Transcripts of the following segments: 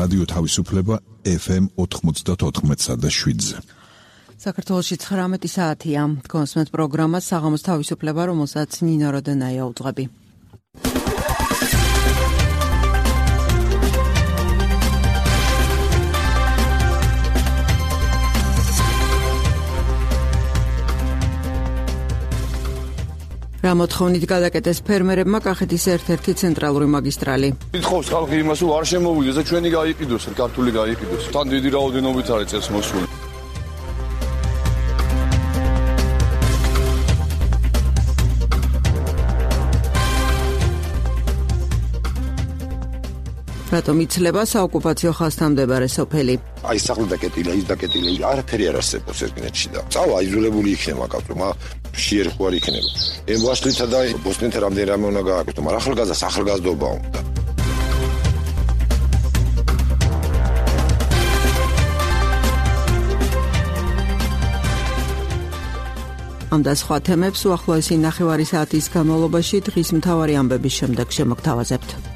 რადიო თავისუფლება FM 94.7-ზე. საქართველოში 19 საათია. კონსმეთ პროგრამა საღამოს თავისუფლება, რომელსაც ნინო როდენაია უძღვები. რა მოთხოვნით გადაკეტეს ფერმერებმა კახეთის ერთ-ერთი ცენტრალური მაგისტრალი. ითხოვს ხალხი იმას, რომ არ შემოვიდეს და ჩვენი გაიყიდოს, ქართული გაიყიდოს. თან დიდი რაოდენობით არის წელს მოსული. რატომ იცლება საოკუპაციო ხაზთან მდებარე სოფელი? აი სახლი დაკეტილი, ის დაკეტილი, არაფერი არ არსებობს ერთგენეთში და წავა იზოლებული იქნება კაცო, შეერხო არ იქნება. ემბაშლითა და ბოსნიეთა რამდენი რამე უნდა გააკეთო, მაგრამ ახალგაზრდა ახალგაზრდობაა უნდა. ამ და სხვა თემებს უახლოესი ნახევარი საათის განმავლობაში დღის მთავარი ამბების შემდეგ შემოგთავაზებთ.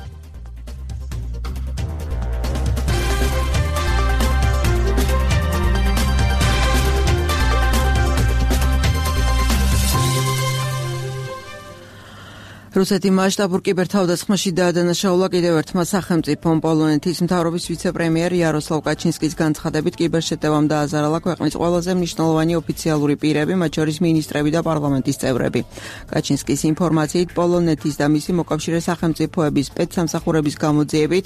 რუსეთი მასშტაბურ კიბერთავდასხმაში დაადანაშაულა კიდევ ერთმა სახელმწიფომ. პოლონეთის მთავრობის ვიცე-პრემიერ იაროსლავ კაჩინსკის განცხადებით კიბერშეტევამ დააზარალა ქვეყნის ყველაზე მნიშვნელოვანი ოფიციალური პირები, მათ შორის მინისტრები და პარლამენტის წევრები. კაჩინსკის ინფორმაციით, პოლონეთის და მისი მოკავშირე სახელმწიფოების სპეცსამსახურების გამოძიებით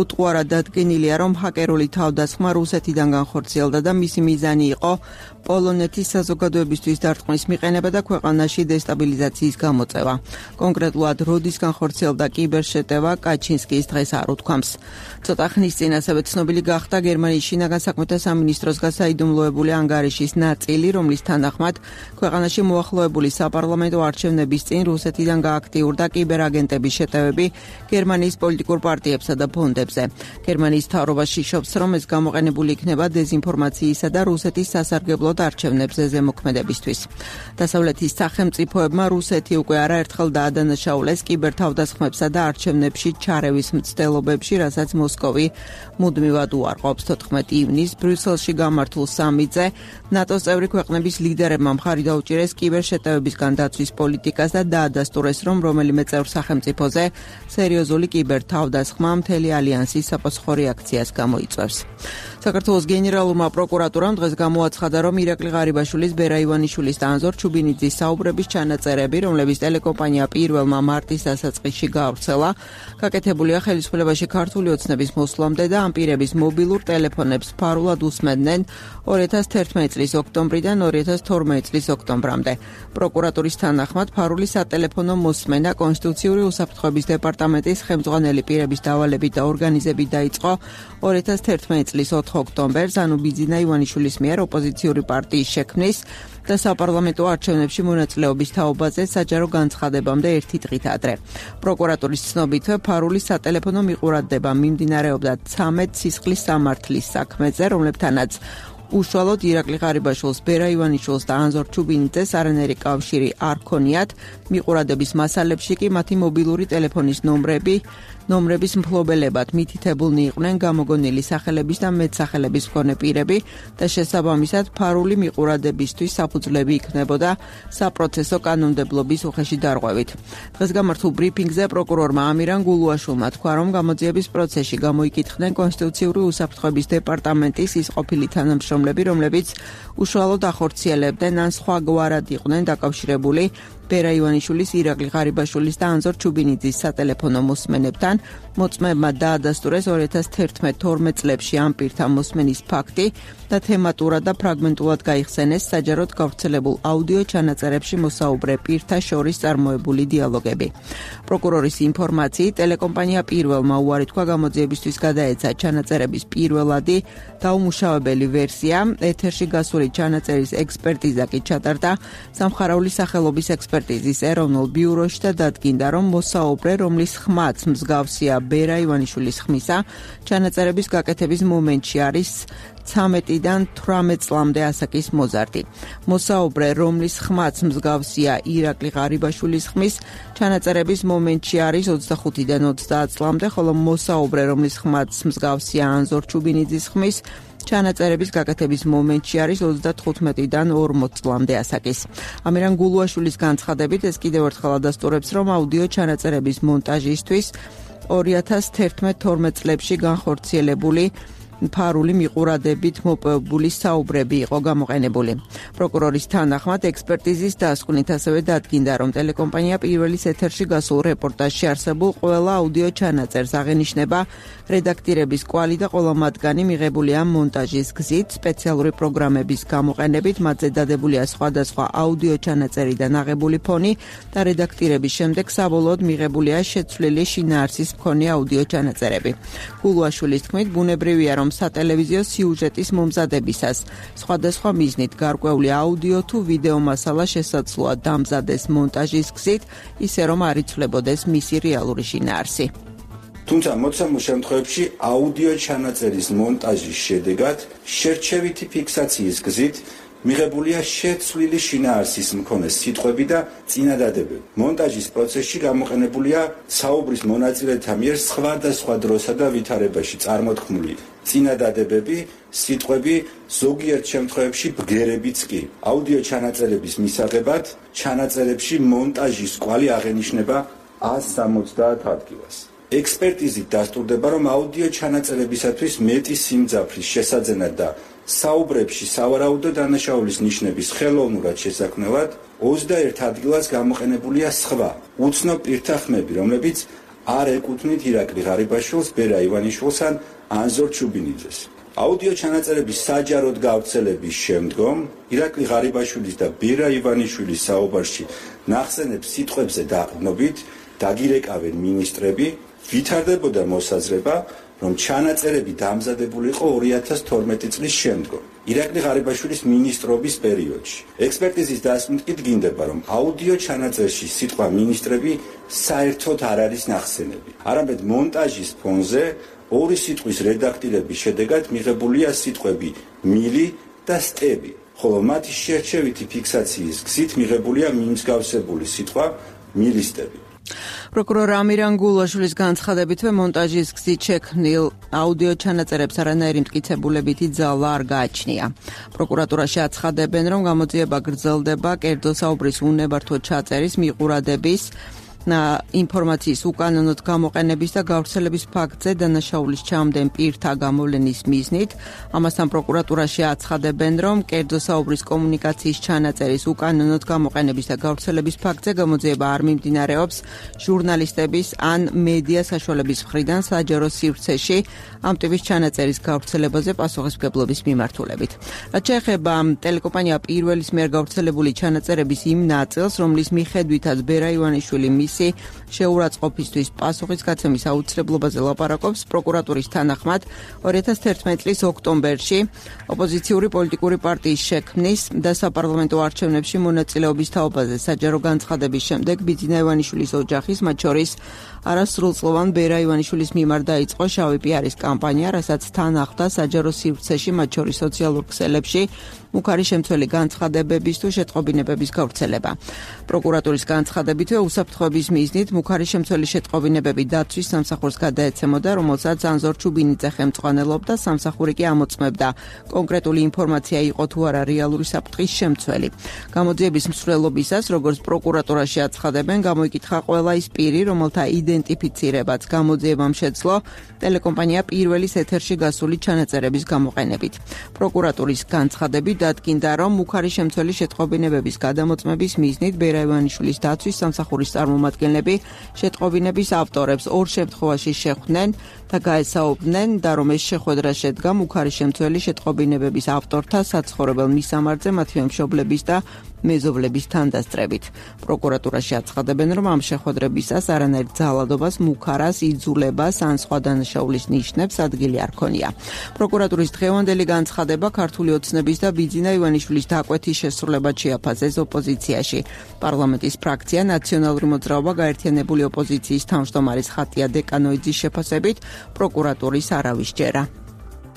უტყუარად დადგენილია, რომ ჰაკერული თავდასხმა რუსეთიდან განხორციელდა და მისი მიზანი იყო პოლონეთის საზოგადოებისთვის დარტყმის მიყენება და ქვეყანაში დესტაბილიზაციის გამოწევა. კონკრეტულად როდის განხორციელდა კიბერშეტევა, კაჩინსკის დღეს არ უთქვამს. ცოტა ხნის წინ ასევე ცნობილი გახდა გერმანიის შინაგან საქმეთა სამინისტროს გასაიდუმლოებული ანგარიშის ნაწილი, რომლის თანახმად ქვეყანაში მოახლოებული საპარლამენტო არჩევნების წინ რუსეთიდან გააქტიურდა კიბერაგენტების შეტევები გერმანიის პოლიტიკურ პარტიებსა და ფონდებზე. გერმანიის მთავრობა შიშობს, რომ ეს გამოყენებული იქნება დეზინფორმაციისა და რუსეთის სასარგებლოდ არჩევნებზე ზემოქმედებისთვის. დასავლეთის სახელმწიფოებმა რუსეთი უკვე არაერთხელ დაადანაშაულეს კიბერთავდასხმებსა და არჩევნებში ჩარევის მცდელობებში, რასაც მოსკოვი მუდმივად უარყოფს. 14 ივნისს ბრიუსელში გამართულ სამიტზე ნატოს წევრი ქვეყნების ლიდერებმა მხარი დაუჭირეს კიბერშეტევებისგან დაცვის პოლიტიკას და დაადასტურეს, რომ რომელიმე წევრ სახელმწიფოზე სერიოზული კიბერთავდასხმა მთელი ალიანსის საპასუხო რეაქციას გამოიწვევს. საქართველოს გენერალურმა პროკურატურამ დღეს გამოაცხადა, რომ ირაკლი ღარიბაშვილის, ბერა ივანიშვილის და ანზორ ჩუბინიძის საუბრების ჩანაწერები, რომლებიც ტელეკომპანია პირველმა მარტის დასაწყისში გაავრცელა, გაკეთებულია ხელისუფლებაში ქართული ოცნების მოსვლამდე და ამ პირების მობილურ ტელეფონებს ფარულად უსმენდნენ 2011 წლის ოქტომბრიდან 2012 წლის ოქტომბრამდე. პროკურატურის თანახმად ფარული სატელეფონო მოსმენა კონსტიტუციური უსაფრთხოების დეპარტამენტის ხელმძღვანელი პირების დავალებით და ორგანიზებით დაიწყო 2011 წლის 4 ოქტომბერს, ანუ ბიძინა ივანიშვილის მიერ ოპოზიციური პარტიის შექმნის და საპარლამენტო არჩევნებში მონაწილეობის თაობაზე საჯარო განცხადებამდე ერთი დღით ადრე. პროკურატურის ცნობით, ფარული სატელეფონო მიყურადდება მიმდინარეობდა 13 სისხლის სამართლის საქმეზე, რომლებთანაც უშუალოდ ირაკლი ღარიბაშვილს, ბერა ივანიშვილს და ანზორ ჩუბინიძეს არანაირი კავშირი არ ქონიათ. მიყურადების მასალებში კი მათი მობილური ტელეფონის ნომრების მფლობელებად მითითებულნი იყვნენ გამოგონილი სახელების და მეტსახელების მქონე პირები და შესაბამისად ფარული მიყურადებისთვის საფუძვლები იქნებოდა საპროცესო კანონმდებლობის უხეში დარღვევით. დღეს გამართულ ბრიფინგზე პროკურორმა ამირან გულუაშვილმა თქვა, რომ გამოძიების პროცესში გამოიკითხნენ კონსტიტუციური უსაფრთხოების დეპარტამენტის ის ყოფილი თანამშრომლები, რომლებიც უშუალოდ ახორციელებდნენ ან სხვაგვარად იყვნენ დაკავშირებული ბერა ივანიშვილის, ირაკლი ღარიბაშვილის და ანზორ ჩუბინიძის სატელეფონო მოსმენებთან. მოწმეებმა დაადასტურეს 2011-12 წლებში ამ პირთა მოსმენის ფაქტი და თემატურად და ფრაგმენტულად გაიხსენეს საჯაროდ გავრცელებულ აუდიო ჩანაწერებში მოსაუბრე პირთა შორის წარმოებული დიალოგები. პროკურორის ინფორმაციით, ტელეკომპანია პირველმა უარი თქვა გამოძიებისთვის გადაეცა ჩანაწერების პირველადი დაუმუშავებელი ვერსია. ეთერში გასული ჩანაწერის ექსპერტიზა კი ჩატარდა სამხარაული სახელობის ექსპერტიზის ეროვნულ ბიუროში და დადგინდა, რომ მოსაუბრე, რომლის ხმაც მსგავსია ბერა ივანიშვილის ხმისა, ჩანაწერების გაკეთების მომენტში არის 13-დან 18 წლამდე ასაკის მოზარდი. მოსაუბრე, რომლის ხმაც მსგავსია ირაკლი ღარიბაშვილის ხმის, ჩანაწერების მომენტში არის 25-დან 30 წლამდე, ხოლო მოსაუბრე, რომლის ხმაც მსგავსია ანზორ ჩუბინიძის ხმის, ჩანაწერების გაკეთების მომენტში არის 35-დან 40 წლამდე ასაკის. ამირან გულუაშვილის განცხადებით ეს კიდევ ერთხელ ადასტურებს, რომ აუდიო ჩანაწერების მონტაჟისთვის 2011-12 წლებში განხორციელებული ფარული მიყურადებით მოპოვებული საუბრები იყო გამოყენებული. პროკურორის თანახმად ექსპერტიზის დასკვნით ასევე დადგინდა, რომ ტელეკომპანია პირველის ეთერში გასულ რეპორტაჟში არსებულ ყველა აუდიო ჩანაწერს აღენიშნება რედაქტირების კვალი და ყველა მათგანი მიღებულია მონტაჟის გზით, სპეციალური პროგრამების გამოყენებით, მათზე დადებულია სხვადასხვა აუდიო ჩანაწერიდან აღებული ფონი და რედაქტირების შემდეგ საბოლოოდ მიღებულია შეცვლილი შინაარსის მქონე აუდიო ჩანაწერები. გულუაშვილის თქმით, ბუნებრივია, რომ სატელევიზიო სიუჟეტის მომზადებისას სხვადასხვა მიზნით გარკვეული აუდიო თუ ვიდეო მასალა შესაძლოა დამზადეს მონტაჟის გზით, ისე რომ არ იცვლებოდეს მისი რეალური შინაარსი. თუმცა მოცემულ შემთხვევებში აუდიო ჩანაწერის მონტაჟის შედეგად შერჩევითი ფიქსაციის გზით მიღებულია შეცვლილი შინაარსის მქონე სიტყვები და წინადადებები. მონტაჟის პროცესში გამოყენებულია საუბრის მონაწილეთა მიერ სხვადასხვა დროსა და ვითარებაში წარმოთქმული წინადადებები, სიტყვები, ზოგიერთ შემთხვევებში ბგერებიც კი. აუდიო ჩანაწერების მისაღებად ჩანაწერებში მონტაჟის კვალი აღენიშნება 170 ადგილას. ექსპერტიზით დასტურდება, რომ აუდიო ჩანაწერებისათვის მეტი სიმძაფრის შესაძენად და საუბრებში სავარაუდო დანაშაულის ნიშნების ხელოვნურად შესაქმნელად 21 ადგილას გამოყენებულია სხვა უცნობ პირთა ხმები, რომლებიც არ ეკუთვნით ირაკლი ღარიბაშვილს, ბერა ივანიშვილს ან ანზორ ჩუბინიძეს. აუდიო ჩანაწერების საჯაროდ გავრცელების შემდგომ ირაკლი ღარიბაშვილის და ბერა ივანიშვილის საუბარში ნახსენებ სიტყვებზე დაყრდნობით დაგირეკავენ მინისტრები, ვითარდებოდა მოსაზრება, რომ ჩანაწერები დამზადებული იყო 2012 წლის შემდგომ, ირაკლი ღარიბაშვილის მინისტრობის პერიოდში. ექსპერტიზის დასკვნით კი დგინდება, რომ აუდიო ჩანაწერში სიტყვა მინისტრები საერთოდ არ არის ნახსენები. არამედ მონტაჟის ფონზე ორი სიტყვის რედაქტირების შედეგად მიღებულია სიტყვები მილი და სტები, ხოლო მათი შერჩევითი ფიქსაციის გზით მიღებულია მიმსგავსებული სიტყვა მილისტები. პროკურორ ამირან გულუაშვილის განცხადებითვე მონტაჟის გზით შექმნილ აუდიო ჩანაწერებს არანაირი მტკიცებულებითი ძალა არ გააჩნია. პროკურატურაში აცხადებენ, რომ გამოძიება გრძელდება კერძო საუბრის უნებართვო ჩაწერის, მიყურადების ინფორმაციის უკანონოდ გამოყენების და გავრცელების ფაქტზე დანაშაულის ჩამდენ პირთა გამოვლენის მიზნით. ამასთან პროკურატურაში აცხადებენ, რომ კერძო საუბრის კომუნიკაციის ჩანაწერის უკანონოდ გამოყენების და გავრცელების ფაქტზე გამოძიება არ მიმდინარეობს ჟურნალისტების ან მედია საშუალების მხრიდან საჯარო სივრცეში ამ ტიპის ჩანაწერის გავრცელებაზე პასუხისმგებლობის მიმართულებით. რაც შეეხება ტელეკომპანია პირველის მიერ გავრცელებული ჩანაწერების იმ ნაწილს, რომლის მიხედვითაც ბერა ივანიშვილი შეურაცხყოფისთვის პასუხის გაცემის აუცილებლობაზე ლაპარაკობს, პროკურატურის თანახმად 2011 წლის ოქტომბერში ოპოზიციური პოლიტიკური პარტიის შექმნის და საპარლამენტო არჩევნებში მონაწილეობის თაობაზე საჯარო განცხადების შემდეგ ბიძინა ივანიშვილის ოჯახის, მათ შორის არასრულწლოვან ბერა ივანიშვილის მიმართ დაიწყო შავი პიარის კამპანია, რასაც თან ახლდა საჯარო სივრცეში, მათ შორის სოციალურ ქსელებში მუქარი შემცველი განცხადებების თუ შეტყობინებების გავრცელება. პროკურატურის განცხადებითვე უსაფრთხოების მიზნით მუქარი შემცველი შეტყობინებები დაცვის სამსახურს გადაეცემოდა, რომელსაც ანზორ ჩუბინიძე ხელმძღვანელობდა, სამსახური კი ამოწმებდა კონკრეტული ინფორმაცია იყო თუ არა რეალური საფრთხის შემცველი. გამოძიების მსვლელობისას, როგორც პროკურატურაში აცხადებენ, გამოიკითხა ყველა ის პირი, რომელთა იდენტიფიცირებაც გამოძიებამ შეძლო ტელეკომპანია პირველის ეთერში გასული ჩანაწერების გამოყენებით. პროკურატურის განცხადებით დადგინდა, რომ მუქარი შემცველი შეტყობინებების გადამოწმების მიზნით ბერა ივანიშვილის დაცვის სამსახურის წარმომადგენლები შეტყობინების ავტორებს ორ შემთხვევაში შეხვდნენ და გაესაუბრნენ და რომ ეს შეხვედრა შედგა მუქარი შემცველი შეტყობინებების ავტორთა საცხოვრებელ მისამართზე, მათივე მშობლების და მეზობლების თანდასწრებით. პროკურატურაში აცხადებენ, რომ ამ შეხვედრებისას არანაირ ძალადობას, მუქარას, იძულებას ან სხვა დანაშაულის ნიშნებს ადგილი არ ქონია. პროკურატურის დღევანდელი განცხადება ქართული ოცნების და ბიძინა ივანიშვილის დაკვეთის შესრულებად შეაფასეს ოპოზიციაში. პარლამენტის ფრაქცია ნაციონალური მოძრაობა გაერთიანებული ოპოზიციის თავმჯდომარის ხატია დეკანოიძის შეფასებით პროკურატურის არავის ჯერა.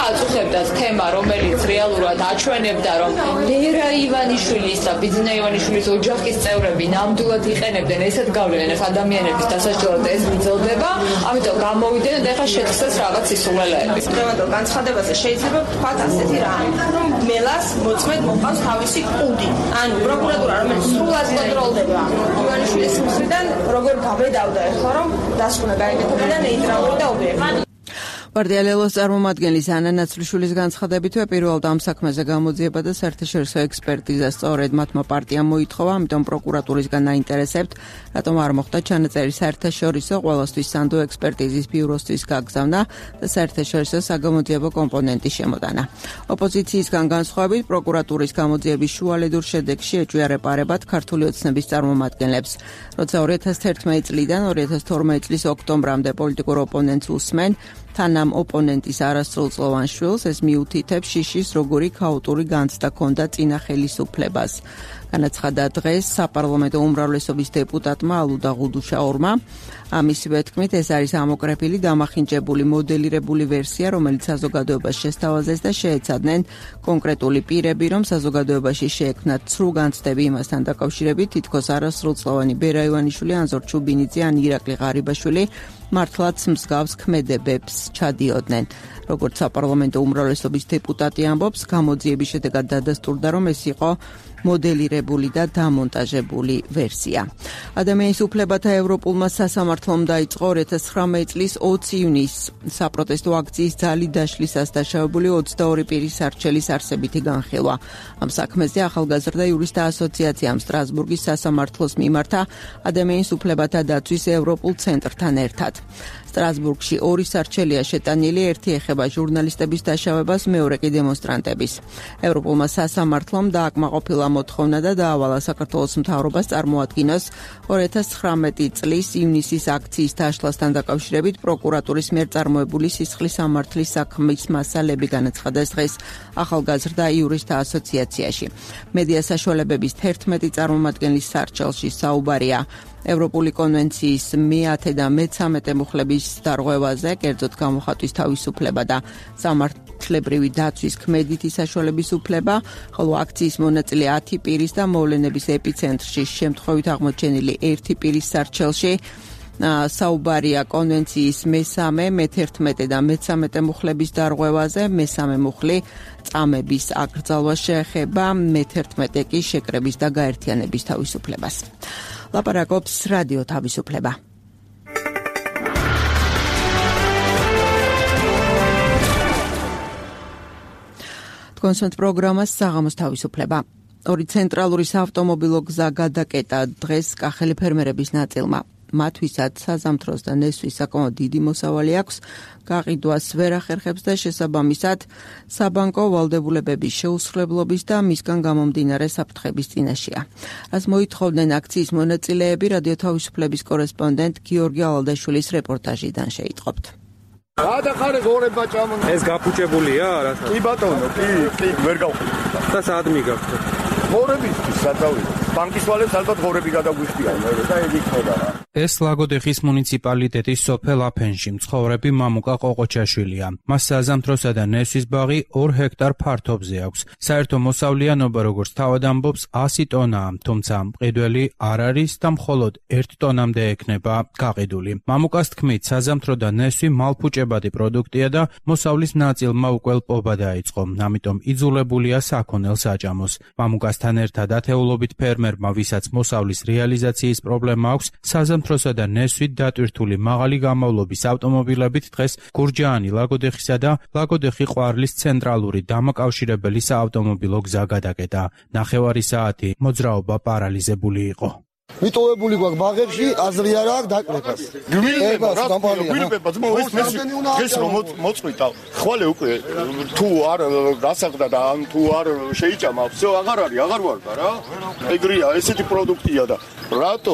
აწუხებდა თემა, რომელიც რეალურად აჩვენებდა, რომ ლერა ივანიშვილის და ბიძინა ივანიშვილის ოჯახის წევრები ნამდვილად იყენებდნენ ესეთ გავლენას ადამიანების დასაჭერად ეს გრძელდება, ამიტომ გამოვიდნენ და ეხლა შეთხსეს რაღაც სისულელეები. დღევანდელ განცხადებაზე შეიძლება ვთქვათ ასეთი რამე, რომ მელას მოწმედ მოყავს თავისი კუდი. ანუ პროკურატურა, რომელიც სრულად კონტროლდება ივანიშვილის მხრიდან, როგორ გაბედავდა ეხლა, რომ დასკვნა გაიგეთებოდა ნეიტრალური და ობიექტური. პარტია ლელოს წარმომადგენლის ანა ნაცვლიშვილის განცხადებითვე პირველად ამ საქმეზე გამოძიება და საერთაშორისო ექსპერტიზა სწორედ მათმა პარტიამ მოითხოვა, ამიტომ პროკურატურისგან აინტერესებთ, რატომ არ მოხდა ჩანაწერი საერთაშორისო ყველასთვის სანდო ექსპერტიზის ბიუროსთვის გაგზავნა და საერთაშორისო საგამოძიებო კომპონენტის შემოტანა. ოპოზიციისგან განსხვავებით, პროკურატურის გამოძიების შუალედურ შედეგში ეჭვია პარებად ქართული ოცნების წარმომადგენლებს, როცა 2011 წლიდან 2012 წლის ოქტომბრამდე პოლიტიკურ ოპონენტს უსმენ, თან ამ ოპონენტის არასრულწლოვან შვილს ეს მიუთითებს შიშის როგორი ქაოტური განცდა ჰქონდა წინა ხელისუფლებას. განაცხადა დღეს საპარლამენტო უმრავლესობის დეპუტატმა ალუდა ღუდუშაურმა. ამისივე თქმით, ეს არის ამოკრეფილი, დამახინჯებული, მოდელირებული ვერსია, რომელიც საზოგადოებას შესთავაზეს და შეეცადნენ კონკრეტული პირები, რომ საზოგადოებაში შეექმნათ ცრუ განცდები იმასთან დაკავშირებით, თითქოს არასრულწლოვანი ბერა ივანიშვილი, ანზორ ჩუბინიძე ან ირაკლი ღარიბაშვილი მართლაც მსგავს ქმედებებს ჩადიოდნენ. როგორც საპარლამენტო უმრავლესობის დეპუტატი ამბობს, გამოძიების შედეგად დადასტურდა, რომ ეს იყო მოდელირებული და დამონტაჟებული ვერსია. ადამიანის უფლებათა ევროპულმა სასამართლომ დაიწყო 2019 წლის 20 ივნისს საპროტესტო აქციის ძალით დაშლისას დაშავებული 22 პირის არჩელის არსებითი განხილვა. ამ საქმეზე ახალგაზრდა იურისტთა ასოციაციამ სტრასბურგის სასამართლოს მიმართა ადამიანის უფლებათა დაცვის ევროპულ ცენტრთან ერთად. სტრასბურგში ორი სარჩელია შეტანილი, ერთი ეხება ჟურნალისტების დაშავებას, მეორე კი დემონსტრანტების. ევროპულმა სასამართლომ დააკმაყოფილა მოთხოვნა და დაავალა საქართველოს მთავრობას წარმოადგინოს 2019 წლის ივნისის აქციის დაშლასთან დაკავშირებით პროკურატურის მიერ წარმოებული სისხლის სამართლის საქმის მასალები, განაცხადეს დღეს ახალგაზრდა იურისტთა ასოციაციაში. მედია საშუალებების 11 წარმომადგენლის სარჩელში საუბარია ევროპული კონვენციის მე-10 და მე-13 მუხლების დარღვევაზე, კერძოდ გამოხატვის თავისუფლება და სამართლებრივი დაცვის ქმედითი საშუალების უფლება, ხოლო აქციის მონაწილე 10 პირის და მოვლენების ეპიცენტრში შემთხვევით აღმოჩენილი 1 პირის სარჩელში საუბარია კონვენციის მე-3, მე-11 და მე-13 მუხლების დარღვევაზე, მე-3 მუხლი წამების აკრძალვას შეეხება, მე-11 კი შეკრების და გაერთიანების თავისუფლებას. ლაპარაკობს რადიო თავისუფლება. თქვენს პროგრამას საღამოს თავისუფლება. ორი ცენტრალური საავტომობილო გზა გადაკეტა დღეს კახელი ფერმერების ნაწილმა. მათვისაც საზამთროს და ნესვის საკმაოდ დიდი მოსავალი აქვს, გაყიდვას ვერ ახერხებს და შესაბამისად საბანკო ვალდებულებების შეუსრულებლობის და მისგან გამომდინარე საფრთხების წინაშეა. რაც მოითხოვდნენ აქციის მონაწილეები, რადიო თავისუფლების კორესპონდენტ გიორგი ალალდაშვილის რეპორტაჟიდან შეიტყობთ. გადახარე გორება ჭამონ. ეს გაფუჭებულია რა? კი ბატონო, კი, ვერ გავხდი. და სად მიგაქვთ? გორებისთვის სადავი. ბანკის ვალებს ალბათ გორები გადაგვიხდიან და ეგ იქნება რა. ეს ლაგოდეხის მუნიციპალიტეტის სოფელ აფენში მცხოვრები მამუკა ყოყოჩაშვილია. მას საზამთროსა და ნესვის ბაღი 2 ჰექტარ ფართობზე აქვს. საერთო მოსავლიანობა, როგორც თავად ამბობს, 100 ტონაა, თუმცა მყიდველი არ არის და მხოლოდ 1 ტონამდე ექნება გაყიდული. მამუკას თქმით, საზამთრო და ნესვი მალფუჭებადი პროდუქტია და მოსავლის ნაწილმა უკვე ლპობა დაიწყო, ამიტომ იძულებულია საქონელ საჭამოს. მამუკასთან ერთად ათეულობით ფერმერმა, ვისაც მოსავლის რეალიზაციის პრობლემა აქვს, საზამთროსა და ნესვით დატვირთული მაღალი გამოვლობის ავტომობილებით დღეს გურჯაანი ლაგოდეხისა და ლაგოდეხი ყვარლის ცენტრალური დამაკავშირებელი საავტომობილო გზა გადაკეტა. 9 საათი მოძრაობა პარალიზებული იყო. მიტოვებული გვაქვს ბაღებში, აზრი არ აქვს დაკრებას. გვირბება ძმო, ეს რომ მოწყვიტა. ხვალე უკვე თუ არ გასაღდა და ან თუ არ შეიჭამა, всё აღარ არის, აღარ ვარ და რა. ეგრეა, ესეთი პროდუქტია და რატო,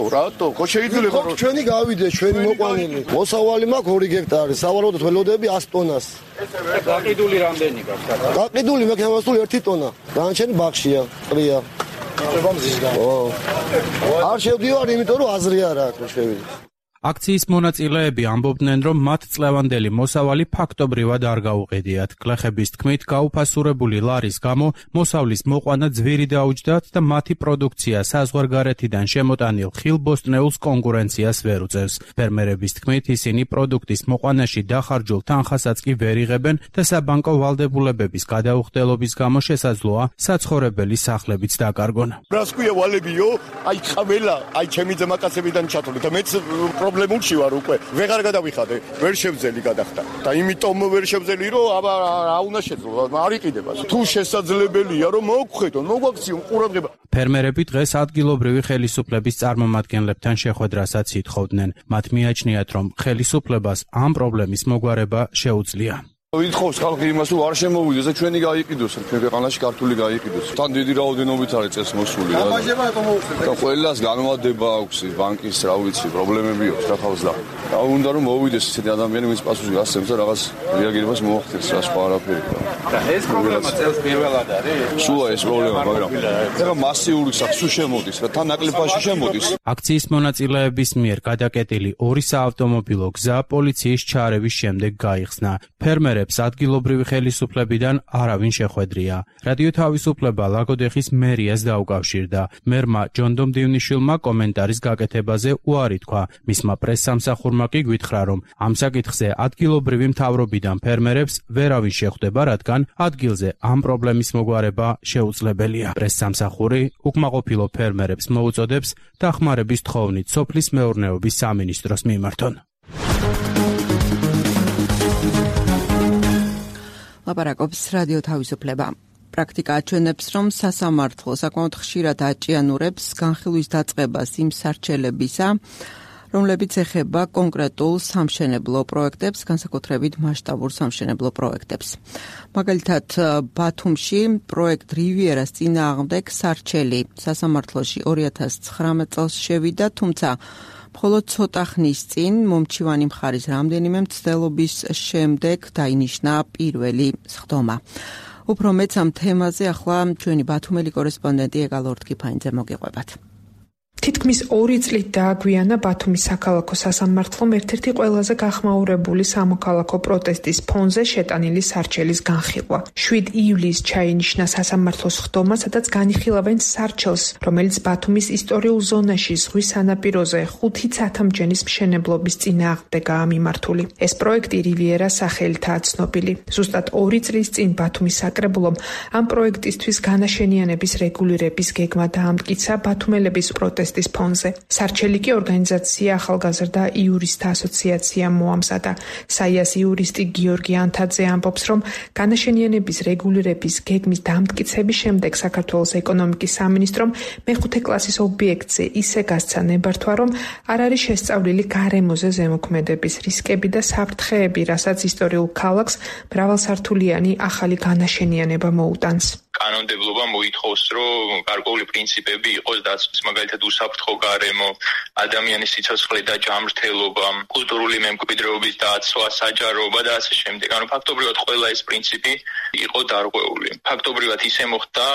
ხო შეიძლება რომ ჩვენი გავიდეს, ჩვენი მოყვანილი. მოსავალი მაქვს 2 ჰექტარი, სავარაუდოდ ველოდები 100 ტონას. გაყიდული რამდენი გაქვს? გაყიდული მექანიკასული 1 ტონა. განაჩენი ბაღშია, ყრია. არ შევდივარ, იმიტომ რომ აზრი არ აქვს შევიდე. აქციის მონაწილეები ამბობდნენ, რომ მათ წლევანდელი მოსავალი ფაქტობრივად არ გაუყიდიათ. გლეხების თქმით, გაუფასურებული ლარის გამო მოსავლის მოყვანა ძვირი დაუჯდათ და მათი პროდუქცია საზღვარგარეთიდან შემოტანილ ხილბოსტნეულს კონკურენციას ვერ უწევს. ფერმერების თქმით, ისინი პროდუქტის მოყვანაში დახარჯულ თანხასაც კი ვერ იღებენ და საბანკო ვალდებულებების გადაუხდელობის გამო შესაძლოა საცხოვრებელი სახლებიც დაკარგონ. რას ქვია ვალებიო? აი ყველა, აი ჩემი ძმაკაცებიდან ჩათვლით და მეც პრობლემულში ვარ უკვე. ვეღარ გადავიხადე, ვერ შევძელი გადახდა. და იმიტომ ვერ შევძელი, რომ აბა რა უნდა შეძლო, არ იყიდება. თუ შესაძლებელია, რომ მოგხვედონ, მოგვაქციონ ყურადღება. ფერმერები დღეს ადგილობრივი ხელისუფლების წარმომადგენლებთან შეხვედრასაც ითხოვდნენ. მათ მიაჩნიათ, რომ ხელისუფლებას ამ პრობლემის მოგვარება შეუძლია. ვითხოვს ხალხი იმას, რომ არ შემოვიდეს და ჩვენი გაიყიდოს, ჩვენ ქვეყანაში ქართული გაიყიდოს. თან დიდი რაოდენობით არის წელს მოსული რა. და ყველას განმადება აქვს ბანკის, რა ვიცი, პრობლემები აქვს რა თავს და უნდა რომ მოვიდეს ესეთი ადამიანი, ვინც პასუხს გასცემს და რაღაც რეაგირებას მოახდენს რა სხვა არაფერი. და ეს პრობლემა წელს პირველად არის. სულა ეს პრობლემა, მაგრამ ეხლა მასიური სახსუ შემოდის და თან ნაკლებაში შემოდის. აქციის მონაწილეების მიერ გადაკეტილი 2 საავტომობილო გზა პოლიციის ჩარევის შემდეგ გაიხსნა. ფერმერებს ადგილობრივი ხელისუფლებიდან არავინ შეხვედრია. რადიო თავისუფლება ლაგოდეხის მერიას დაუკავშირდა. მერმა ჯონდომ დივნიშვილმა კომენტარის გაკეთებაზე უარი თქვა. მისმა პრესსამსახურმა კი გვითხრა, რომ ამ საკითხზე ადგილობრივი მთავრობიდან ფერმერებს ვერავინ შეხვდება, რადგან ადგილზე ამ პრობლემის მოგვარება შეუძლებელია. პრესსამსახური უკმაყოფილო ფერმერებს მოუწოდებს დახმარების თხოვნით სოფლის მეურნეობის სამინისტროს მიმართონ. ლაპარაკობს რადიო თავისუფლება. პრაქტიკა აჩვენებს, რომ სასამართლო საკმაოდ ხშირად აჭიანურებს განხილვის დაწყებას იმ სარჩელებისა, რომლებიც ეხება კონკრეტულ სამშენებლო პროექტებს, განსაკუთრებით მასშტაბურ სამშენებლო პროექტებს. მაგალითად, ბათუმში პროექტ რივიერას წინააღმდეგ სარჩელი სასამართლოში 2019 წელს შევიდა, თუმცა მხოლოდ ცოტა ხნის წინ მომჩივანი მხარის რამდენიმე მცდელობის შემდეგ დაინიშნა პირველი სხდომა. უფრო მეც ამ თემაზე ახლა ჩვენი ბათუმელი კორესპონდენტი ეგალ ორთქიფანიძე მოგიყვებათ. თითქმის 2 წლით დააგვიანა ბათუმის საქალაქო სასამართლომ ერთ-ერთი ყველაზე გახმაურებული სამოქალაქო პროტესტის ფონზე შეტანილი სარჩელის განხილვა. 7 ივლისს ჩაინიშნა სასამართლოს სხდომა, სადაც განიხილავენ სარჩელს, რომელიც ბათუმის ისტორიულ ზონაში ზღვის სანაპიროზე 5 ცათამბჯენის მშენებლობის წინააღმდეგაა მიმართული. ეს პროექტი რივიერა სახელითაა ცნობილი. ზუსტად 2 წლის წინ ბათუმის საკრებულომ ამ პროექტისთვის განაშენიანების რეგულირების გეგმა დაამტკიცა ბათუმელების პროტესტის ფონზე. სარჩელი კი ორგანიზაცია ახალგაზრდა იურისტთა ასოციაცია მოამზადა. საიას იურისტი გიორგი ანთაძე ამბობს, რომ განაშენიანების რეგულირების გეგმის დამტკიცების შემდეგ საქართველოს ეკონომიკის სამინისტრომ მეხუთე კლასის ობიექტზე ისე გასცა ნებართვა, რომ არ არის შესწავლილი გარემოზე ზემოქმედების რისკები და საფრთხეები, რასაც ისტორიულ ქალაქს მრავალსართულიანი ახალი განაშენიანება მოუტანს. კანონმდებლობა მოითხოვს, რომ გარკვეული პრინციპები იყოს დაცვის, მაგალითად უსაფრთხო გარემო, ადამიანის სიცოცხლე და ჯანმრთელობა, კულტურული მემკვიდრეობის დაცვა, საჯაროობა და ასე შემდეგ. ანუ ფაქტობრივად ყველა ეს პრინციპი იყო დარღვეული. ფაქტობრივად ისე მოხდა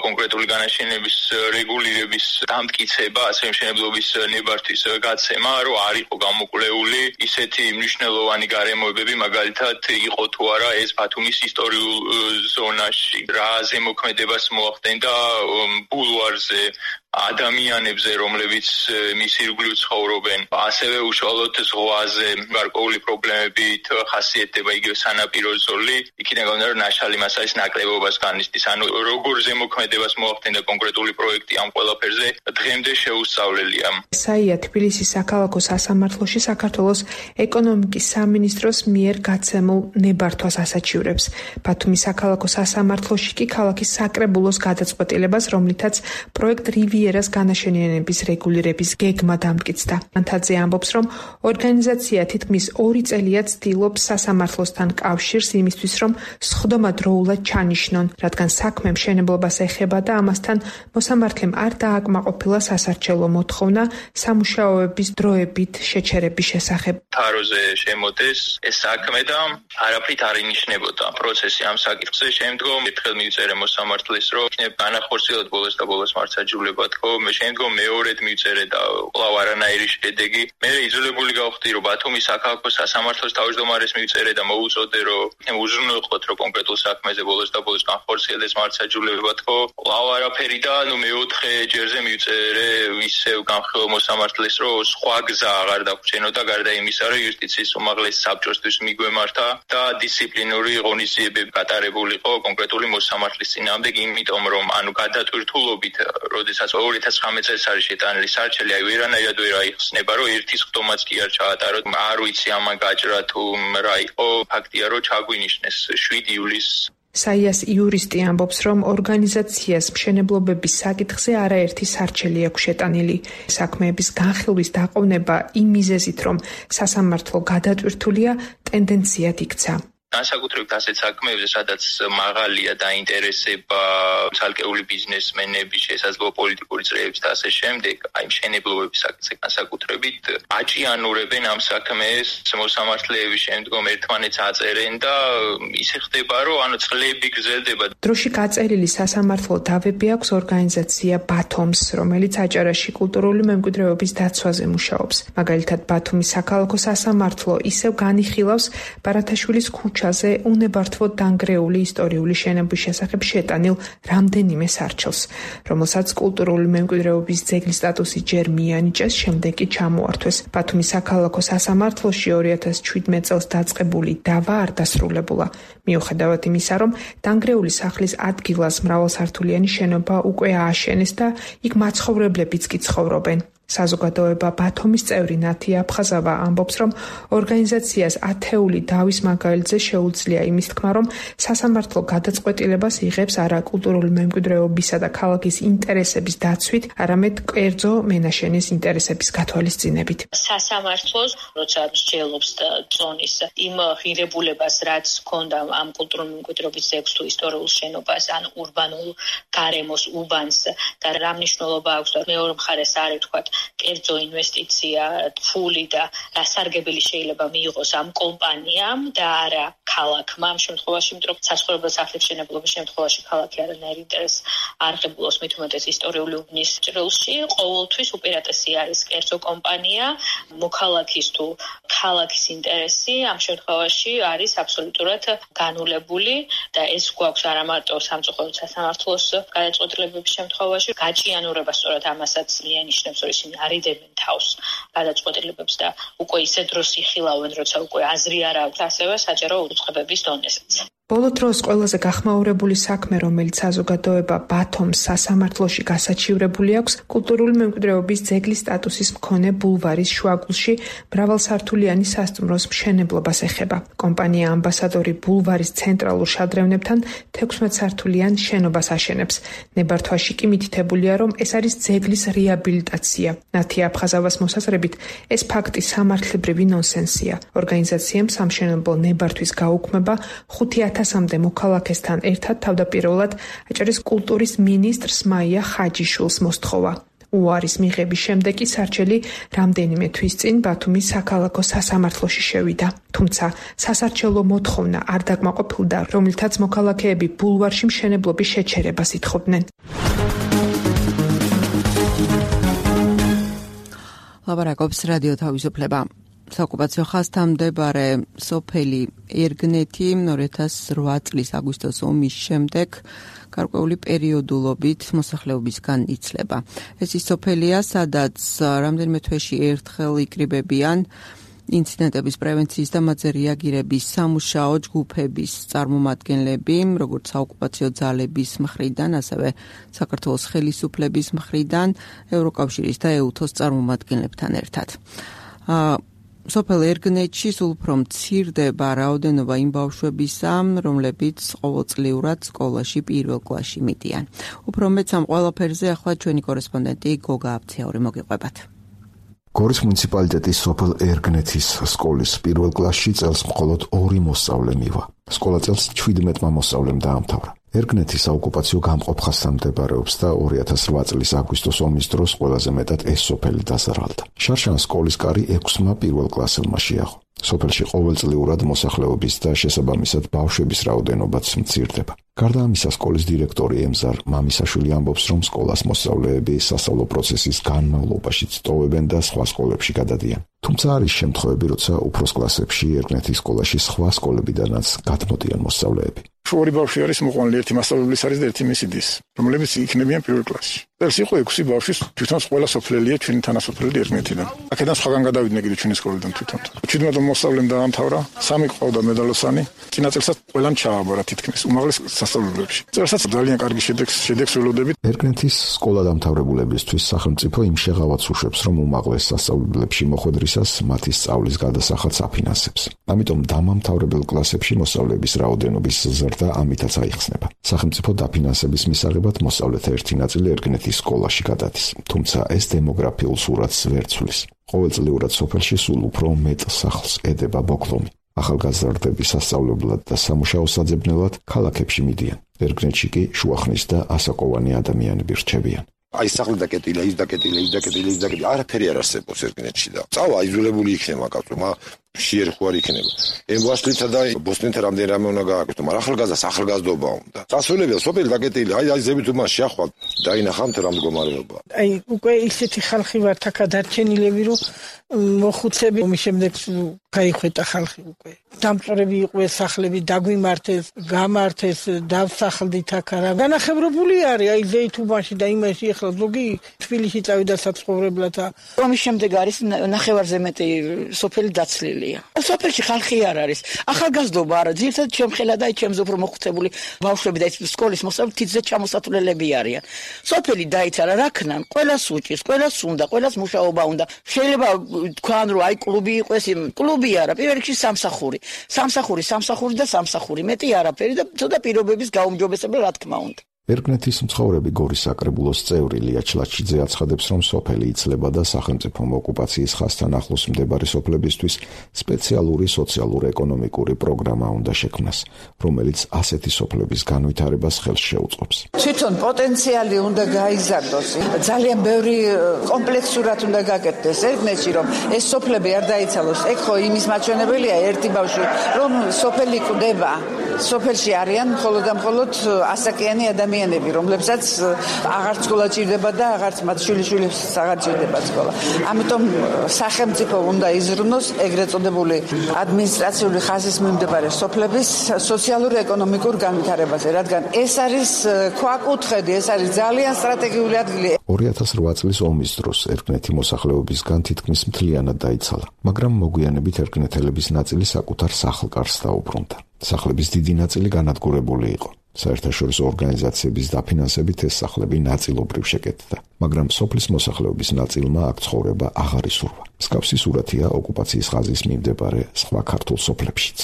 კონკრეტული განაშენების რეგულირების დამტკიცება, ასე მშენებლობის ნებართვის გაცემა, რომ არ იყო გამოკვლეული ისეთი მნიშვნელოვანი გარემოებები, მაგალითად იყო თუ არა ეს ბათუმის ისტორიულ ზონაში, რა ზემოქმედებას მოახდენდა ბულვარზე, ადამიანებზე, რომლებიც მის ირგვლივ ცხოვრობენ, ასევე უშუალოდ ზღვაზე გარკვეული პრობლემებით ხასიათდება იგივე სანაპირო ზოლი, იქიდან გამომდინარე, რომ ნაშალი მას არის ნაკლებობას განიცდის. ანუ როგორ ზემოქმედებას მოახდენდა კონკრეტული პროექტი ამ ყველაფერზე დღემდე შეუსწავლელია. საია თბილისის საქალაქო სასამართლოში საქართველოს ეკონომიკის სამინისტროს მიერ გაცემულ ნებართვას ასაჩივრებს. ბათუმის საქალაქო სასამართლოში კი ქალაქის საკრებულოს გადაწყვეტილებას, რომლითაც პროექტ რივიერას განაშენიანების რეგულირების გეგმა დამტკიცდა. ანთაძე ამბობს, რომ ორგანიზაცია თითქმის 2 წელია ცდილობს სასამართლოსთან კავშირს იმისთვის, რომ სხდომა დროულად ჩანიშნონ, რადგან საქმე მშენებლობას ეხება და ამასთან მოსამართლემ არ დააკმაყოფილა სასარჩელო მოთხოვნა სამუშაოების დროებით შეჩერების შესახებ. თაროზე შემოდეს ეს საქმე და არაფრით არ ინიშნებოდა პროცესი ამ საკითხზე. შემდგომ ერთხელ მიწერე მოსამართლეს, რომ იქნებ განახორციელოთ ბოლოს და ბოლოს მართსაჯულება თქო, შემდგომ მეორედ მივწერე და კვლავ არანაირი შედეგი. მე იძულებული გავხდი, რომ ბათუმის საქალაქო სასამართლოს თავმჯდომარეს მივწერე და მოუწოდე, რომ უზრუნველყოთ, რომ კონკრეტულ საქმეზე ბოლოს და ბოლოს განხორციელდეს მართლმსაჯულება თქო. კვლავ არაფერი და მეოთხე ჯერზე მივწერე ისევ განხილვა მოსამართლეს, რომ სხვა გზა აღარ დაგვრჩენოდა გარდა იმისა, რომ იუსტიციის უმაღლეს საბჭოსთვის მიგვემართა და დისციპლინური ღონისძიებები გატარებულიყო კონკრეტული მოსამართლის წინააღმდეგ, იმიტომ რომ გადატვირთულობით, როდესაც 2019 წელს არის შეტანილი სარჩელი, ვერანაირად ვერ აიხსნება, რომ ერთის ხდომაც კი არ ჩაატაროთ. არ ვიცი ამან გაჭრა თუ რა იყო, ფაქტია, რომ ჩაგვინიშნეს 7 ივლისს. საიას იურისტი ამბობს, რომ ორგანიზაციას მშენებლობების საკითხზე არაერთი სარჩელი აქვს შეტანილი. საქმეების განხილვის დაყოვნება იმ მიზეზით, რომ სასამართლო გადატვირთულია, ტენდენციად იქცა. განსაკუთრებით ასეთ საქმეებზე, სადაც მაღალია დაინტერესება ცალკეული ბიზნესმენების, შესაძლოა პოლიტიკური წრეების და ასე შემდეგ, აი მშენებლობების საკითხზე განსაკუთრებით აჭიანურებენ ამ საქმეს, მოსამართლეების შემდგომ ერთმანეთს აწერენ და ისე ხდება, რომ წლები გრძელდება. დროში გაწერილი სასამართლო დავები აქვს ორგანიზაცია ბათომს, რომელიც აჭარაში კულტურული მემკვიდრეობის დაცვაზე მუშაობს. მაგალითად, ბათუმის საქალაქო სასამართლო ისევ განიხილავს ბარათაშვილის ქუჩაზე უნებართვოდ დანგრეული ისტორიული შენობის შესახებ შეტანილ რამდენიმე სარჩელს, რომელსაც კულტურული მემკვიდრეობის ძეგლის სტატუსი ჯერ მიანიჭეს, შემდეგ კი ჩამოართვეს. ბათუმის საქალაქო სასამართლოში 2017 წელს დაწყებული დავა არ დასრულებულა. მიუხედავად იმისა, რომ დანგრეული სახლის ადგილას მრავალსართულიანი შენობა უკვე ააშენეს და იქ მაცხოვრებლებიც კი ცხოვრობენ. საზოგადოება ბათუმის წევრი ნათია აფხაზავა ამბობს, რომ ორგანიზაციას ათეული დავის მაგალითზე შეუძლია იმის თქმა, რომ სასამართლო გადაწყვეტილებას იღებს არა კულტურული მემკვიდრეობისა და ქალაქის ინტერესების დაცვით, არამედ კერძო მენაშენის ინტერესების გათვალისწინებით. სასამართლოს როცა მსჯელობს და წონის იმ ღირებულებას, რაც ჰქონდა ამ კულტურული მემკვიდრეობის ძეგლს თუ ისტორიულ შენობას, ან ურბანულ გარემოს უბანს და რა მნიშვნელობა აქვს და მეორე მხარეს არ ეთქვათ კერძო ინვესტიცია, ფული და რასარგებელი შეიძლება მიიღოს ამ კომპანიამ და არა ქალაქმა. ამ შემთხვევაში, იმიტომ რომ საცხოვრებელ სახლების მშენებლობის შემთხვევაში ქალაქი არანაირ ინტერესს არ ღებულობს, მით უმეტეს ისტორიული უბნის ჭრილში, ყოველთვის უპირატესი არის კერძო კომპანია, მოქალაქის თუ ქალაქის ინტერესი ამ შემთხვევაში არის აბსოლუტურად განულებული და ეს გვაქვს არა მარტო სამწუხაროდ სასამართლოს გადაწყვეტილებების შემთხვევაში, გაჭიანურება სწორად ამასაც მიანიშნებს, რომ ისინი არიდებენ თავს გადაწყვეტილებებს და უკვე ისე დროს იხილავენ, როცა უკვე აზრი არ აქვს, ასევე საჯარო უწყებების დონესაც. ბოლო დროს ყველაზე გახმაურებული საქმე, რომელიც საზოგადოება ბათუმს სასამართლოში გასაჩივრებული აქვს, კულტურული მემკვიდრეობის ძეგლის სტატუსის მქონე ბულვარის შუაგულში მრავალსართულიანი სასტუმროს მშენებლობას ეხება. კომპანია ამბასადორი ბულვარის ცენტრალურ შადრევნებთან 16 სართულიან შენობას აშენებს. ნებართვაში კი მითითებულია, რომ ეს არის ძეგლის რეაბილიტაცია. ნათია აფხაზავას მოსაზრებით, ეს ფაქტი სამართლებრივი ნონსენსია. ორგანიზაციამ სამშენებლო ნებართვის გაუქმება 5,000-მდე მოქალაქესთან ერთად თავდაპირველად აჭარის კულტურის მინისტრს მაია ხაჯიშვილს მოსთხოვა. უარის მიღების შემდეგ კი სარჩელი რამდენიმე თვის წინ ბათუმის საქალაქო სასამართლოში შევიდა. თუმცა სასარჩელო მოთხოვნა არ დაკმაყოფილდა, რომლითაც მოქალაქეები ბულვარში მშენებლობის შეჩერებას ითხოვდნენ. ლაბარაკობს რადიო თავისუფლება. საოკუპაციო ხაზთან მდებარე სოფელი ერგნეთი 2008 წლის აგვისტოს ომის შემდეგ გარკვეული პერიოდულობით მოსახლეობისგან იცლება. ეს ის სოფელია, სადაც რამდენიმე თვეში ერთხელ იკრიბებიან ინციდენტების პრევენციის და მათზე რეაგირების სამუშაო ჯგუფების წარმომადგენლები, როგორც საოკუპაციო ძალების მხრიდან, ასევე საქართველოს ხელისუფლების მხრიდან, ევროკავშირის და ეუთოს წარმომადგენლებთან ერთად. სოფელ ერგნეთში სულ უფრო მცირდება რაოდენობა იმ ბავშვებისა, რომლებიც ყოველწლიურად სკოლაში პირველ კლასში მიდიან. უფრო მეც ამ ყველაფერზე ახლა ჩვენი კორესპონდენტი გოგა აბციური მოგიყვებათ. გორის მუნიციპალიტეტის სოფელ ერგნეთის სკოლის პირველ კლასში წელს მხოლოდ 2 მოსწავლე მივა. სკოლა წელს 17 მოსწავლემ დაამთავრა. ერგნეთის საოკუპაციო გამყოფხასთან მდებარეობს და 2008 წლის აგვისტოს ომის დროს ყველაზე მეტად ეს სოფელი დაზარალდა. შარშან სკოლის კარი 6 პირველ კლასელმა შეაღო. სოფელში ყოველწლიურად მოსახლეობის და შესაბამისად ბავშვების რაოდენობაც მცირდება. გარდა ამისა, სკოლის დირექტორი ემზარ მამისაშვილი ამბობს, რომ სკოლას მოსწავლეები სასწავლო პროცესის განმავლობაში სწოვებენ და სხვა სკოლებში გადადიან. თუმცა არის შემთხვევები, როცა უფროს კლასებში ერკნეთის სკოლაში სხვა სკოლებიდანაც გადმოდიან მოსწავლეები. ორი ბავშვი არის მოყვანილი, ერთი მასწავლებლის არის და ერთი მისი დის, რომლებიც იქნებიან პირველ კლასში. წელს იყო 6 ბავშვი, თვითონ ყველა სოფლელია ჩვენი თანასოფლელი ერკნეთიდან. აქედან სხვაგან გადავიდნენ კიდე ჩვენი სკოლიდან თვითონ. 17 მოსწავლემ დაამთავრა, 3 ყავდა მედალოსანი, წინა წელსაც ყველამ ჩააბარა თითქმის უმაღლეს სასწავლებლებში. წელსაც ძალიან კარგი შედეგს ველოდებით. ერკნეთის სკოლა დამთავრებულებისთვის სახელმწიფო იმ შეღავათს უშვებს, რომ უმაღლეს სასწავლებლებში მოხვედრისას მათი სწავლის გადასახადს აფინანსებს. ამიტომ დამამთავრებელ კლასებში მოსწავლეების რაოდენობის ზრდა ამითაც აიხსნება. სახელმწიფო დაფინანსების მისაღებად მოსწავლეთა ერთი ნაწილი ერკნეთის სკოლაში გადადის, თუმცა ეს დემოგრაფიულ სურათს ვერ ცვლის. ყოველწლიურად სოფელში სულ უფრო მეტ სახლს ედება ბოკლომი. ახალგაზრდები სასწავლებლად და სამუშაო საძებნელად ქალაქებში მიდიან. ერკნეთში კი შუახნის და ასაკოვანი ადამიანები რჩებიან. აი სახლი დაკეტილია, ის დაკეტილია, არაფერი არ არსებობს ერკნეთში და წავა აიზოლებული იქნება კაცო, შეერხო არ იქნება. ემბაშლითა და ბოსნითა რამდენი უნდა გააკეთო, მაგრამ ახალგაზრდობა უნდა. წასულებია სოფელი დაკეტილია, აი ზებით უმა შეახვალ დაინახავთ რა მდგომარეობა. აი უკვე ისეთი ხალხი ვართ აქ დარჩენილები, რომ მოხუცები ომის შემდეგ გაიხვეთა ხალხი უკვე. დამწორები იყო სახლები, დაგვიმართეს, გამართეს, დავსახლდით აქ რა. განახევრებული არის აი ზეითუბანში და იმაში ახლა ზოგი თბილისში წავიდა საცხოვრებლად. ომის შემდეგ არის ნახევარზე მეტი სოფელი დაცლილია. სოფელში ხალხი არ არის. ახალგაზრდობა არა, ძირითადად ჩემხელა და ჩემზე უფრო მოხუცებული ბავშვები და სკოლის მოსწავლეები თითზე ჩამოსათვლელები არიან. სოფელი დაიცალა რა ქნან, ყველას უჭირს, ყველას უნდა, ყველას მუშაობა უნდა. შეიძლება თქვან რომ აი კლუბი იყოს, კლუბი არა, პირველ რიგში სამსახური და სამსახური, მეტი არაფერი და ცოტა პირობების გაუმჯობესება რა თქმა უნდა. ერკნეთის მცხოვრები გორის საკრებულოს წევრი ლია ჩლაჩიძე აცხადებს, რომ სოფელი იცლება და სახელმწიფომ ოკუპაციის ხაზთან ახლოს მდებარე სოფლებისთვის სპეციალური სოციალურ-ეკონომიკური პროგრამა უნდა შექმნას, რომელიც ასეთი სოფლების განვითარებას ხელს შეუწყობს. თვითონ პოტენციალი უნდა გაიზარდოს, ძალიან ბევრი კომპლექსურად უნდა გაკეთდეს ერკნეთში, რომ ეს სოფლები არ დაიცალოს. ეგ ხო იმის მაჩვენებელია ერთი ბავშვი, რომ სოფელი კვდება, სოფელში არიან მხოლოდ და მხოლოდ ასაკიანი ადამიანები, რომლებსაც აღარ სკოლა ჭირდება და აღარც მათ შვილიშვილებს აღარ ჭირდება სკოლა. ამიტომ სახელმწიფო უნდა იზრუნოს ეგრეთ წოდებული ადმინისტრაციული ხაზის მიმდებარე სოფლების სოციალურ-ეკონომიკურ განვითარებაზე, რადგან ეს არის ქვაკუთხედი, ეს არის ძალიან სტრატეგიული ადგილი. 2008 წლის ომის დროს ერკნეთი მოსახლეობისგან თითქმის მთლიანად დაიცალა, მაგრამ მოგვიანებით ერკნეთელების ნაწილი საკუთარ სახლ-კარს დაუბრუნდა. სახლების დიდი ნაწილი განადგურებული იყო. საერთაშორისო ორგანიზაციების დაფინანსებით ეს სახლები ნაწილობრივ შეკეთდა, მაგრამ სოფლის მოსახლეობის ნაწილმა აქ ცხოვრება აღარ ისურვა. მსგავსი სურათია ოკუპაციის ხაზის მიმდებარე სხვა ქართულ სოფლებშიც.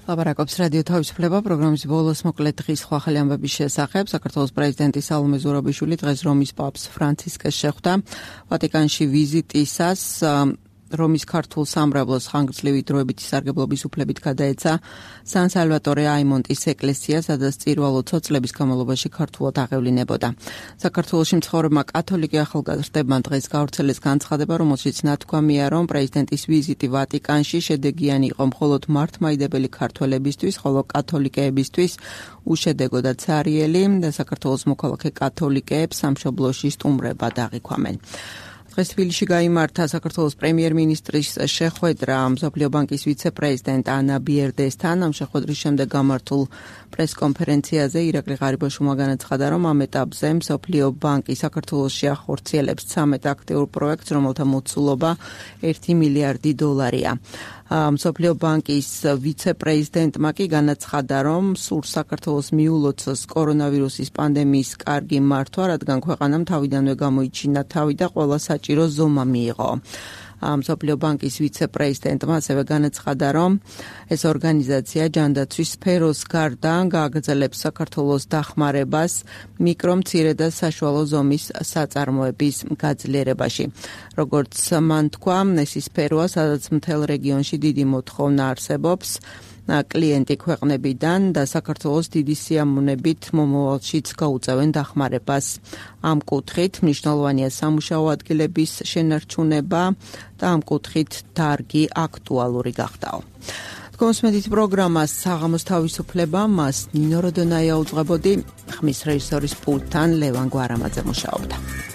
ლაპარაკობს რადიო თავისუფლება პროგრამის ბოლოს მოკლედ დღის სხვა ახალი ამბების შესახებ. საქართველოს პრეზიდენტი სალომე ზურაბიშვილი დღეს რომის პაპს ფრანცისკეს შეხვდა. ვატიკანში ვიზიტისას რომის ქართულ სამრევლოს ხანგრძლივი დროებითი სარგებლობის უფლებით გადაეცა სან სალვატორე აიმონტის ეკლესია, სადაც წირვალო წლების განმავლობაში ქართულად აღევლინებოდა. საქართველოში მცხოვრებმა კათოლიკე ახალგაზრდებმა დღეს გავრცელეს განცხადება, რომელშიც ნათქვამია, რომ პრეზიდენტის ვიზიტი ვატიკანში შედეგიანი იყო მხოლოდ მართლმადიდებელი ქართველებისთვის, ხოლო კათოლიკეებისთვის უშედეგო და ცარიელი და საქართველოს მოქალაქე კათოლიკეებს სამშობლოში სტუმრება დაღიქვამენ. დღეს თბილისში გაიმართა საქართველოს პრემიერ-მინისტრის შეხვედრა მსოფლიო ბანკის ვიცე-პრეზიდენტ ანა ბიერდესთან. ამ შეხვედრის შემდეგ გამართულ პრესკონფერენციაზე ირაკლი ღარიბაშვილმა განაცხადა, რომ ამ ეტაპზე მსოფლიო ბანკი საქართველოში ახორციელებს 13 აქტიურ პროექტს, რომელთა მოცულობა 1 მილიარდი დოლარია. მსოფლიო ბანკის ვიცე-პრეზიდენტმა კი განაცხადა, რომ სურს საქართველოს მიულოცოს კორონავირუსის პანდემიის კარგი მართვა, რადგან ქვეყანამ თავიდანვე გამოიჩინა თავი და ყველა საჭირო ზომა მიიღო. მსოფლიო ბანკის ვიცე-პრეზიდენტმა ასევე განაცხადა, რომ ეს ორგანიზაცია ჯანდაცვის სფეროს გარდა გააგრძელებს საქართველოს დახმარებას მიკრო, მცირე და საშუალო ზომის საწარმოების გაძლიერებაში. როგორც მან თქვა, ეს ის სფეროა, სადაც მთელ რეგიონში დიდი მოთხოვნა არსებობს კლიენტი ქვეყნებიდან და საქართველოს დიდი სიამოვნებით მომავალშიც გაუწევენ დახმარებას. ამ კუთხით მნიშვნელოვანია სამუშაო ადგილების შენარჩუნება და ამ კუთხით დარგი აქტუალური გახდაო. კონსმედით პროგრამას საღამოს თავისუფლება მას ნინო როდონაია უძღვებოდი, ხმის რეჟისორის პულტთან ლევან გვარამაძე მუშაობდა.